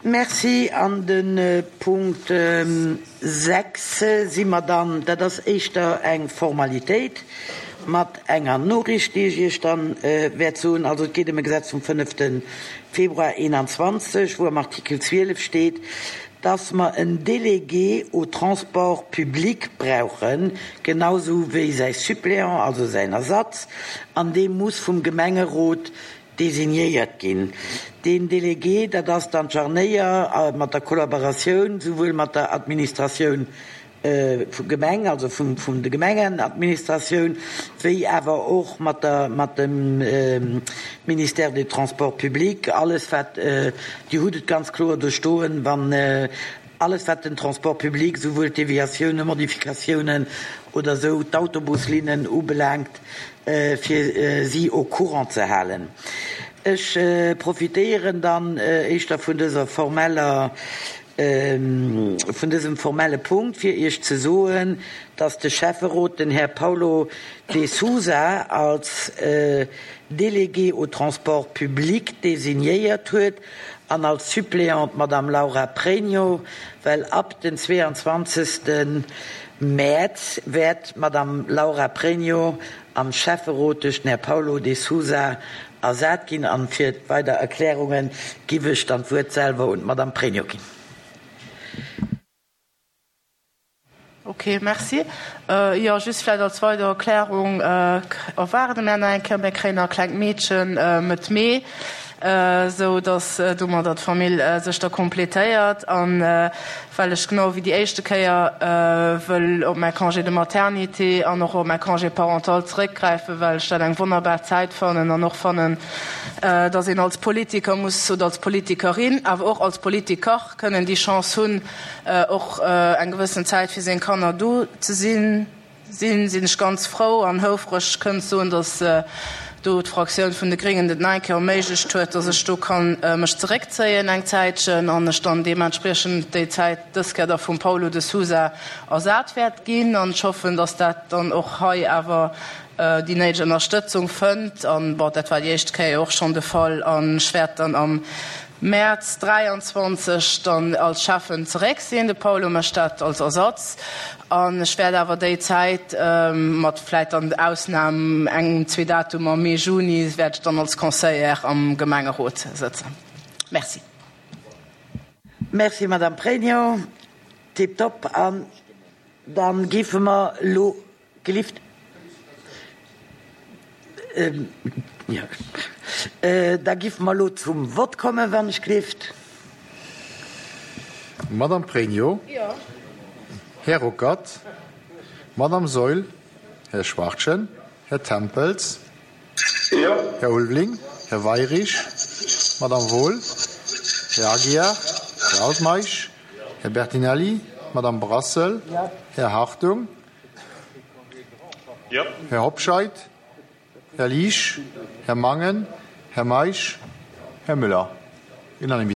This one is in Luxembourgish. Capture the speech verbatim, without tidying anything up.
Merci. An de Punkt sechs si mer dann, dat ass éischter eng Formalitéit mat enger Noriicht, déi ech Iech dann wäert soen. Also et geet ëm e Gesetz vum fënnefte Februar eenanzwanzeg, wou am Artikel zwielef steet, dass mer en Délégué au transport public brauchen, genausou wéi säi Suppléant, also säin Ersatz, an dee muss vum Gemengerot designéiert ginn. Deen Délégué, dat ass dann d'Jarnéier mat der Kollaboratioun souwuel mat der Administratioun vum Gemeng, also vum vum de Gemengenadministratioun, wéi awer och mat der mat dem Ministère des Transports publics, alles wat, Dir hutt et ganz kloer do stoen, wann alles wat den Transport public, souwuel d'Deviatiounen, Modifikatiounen oder esou d'Autobuslinnen ubelaangt, fir si au courant ze halen. Ech profitéieren dann éischter vun dëser formeller, vun dësem formelle Punkt, fir Iech ze soen, dass de Schäfferot den Här Paulo de Sousa als Délégué au transport public designéiert huet an als Suppléant d'Madame Laura Pregno, well ab den zweeanzwanzegste Mäerz wäert d'Madame Laura Pregno am Schäfferot duerch den Här Paulo de Sousa ersat ginn. An fir weider Erklärunge giff ech dann d'Wuert selwer un d'Madame Pregno ginn. Ok, merci. Jo, just vläicht als weider Erklärung, erwaarde mär nach eng Kéier, mär kréien nach e klengt Meedchen Mëtt Mee, esou datt domadder d'Famill sech da completéiert. An well ech genau wéi déi éischte Kéier wëll op mäi Congé de maternité an och op mäi Congé parental zeréckgräifen, well ech dat eng wonnerbar Zäit fannen an och fannen, datt een als Politiker muss oder als Politikerin, awer och als Politiker kënnen déi Chance hunn, och eng gewëssen Zäit fir seng Kanner do ze sinn, sinn, sinn ech ganz frou an houfreg kënnen soen, datt do d'Fraktioun vun de Gréngen et nach eng Kéier erméiglecht huet, datt ech do ka mech zeréckzéien eng Zäitchen an ech dann deementspriechend déi Zäit dës Kéier da vum Paulo de Sousa ersat wäert ginn. An ech hoffen, datt dat dann och hei awer déi néideg Ënnerstëtzung fënnt. An, bon, dat war déi éischt Kéier jo och schonn de Fall. An ech wäert dann am Mäerz dräianzwanzeg dann als Schäffen zeréck sinn. De Paulo mécht dat als Ersatz. An ech wäert awer déi Zäit, mat vläit dann Ausnam engem, zwee Datumer, Mee, Juni, wäert ech dann als Conseillère am Gemengerot sëtzen. Merci. Merci, Madame Pregno. Tiptop. An da géife mer elo gelift. Da giffe mer elo zum Vott kommen, wann ech gelift. Madame Pregno. Här Ruckert. Madame Saeul. Här Schwachtgen. Här Tempels. Här Ulveling. Här Weyrich. Madame Wohl. Här Aguiar. Här Altmeisch. Här Bertinelli. Madame Brassel. Här Hartung. Här Hobscheit. Här Liesch, Här Mangen, Här Meisch, Här Müller. Unanimité.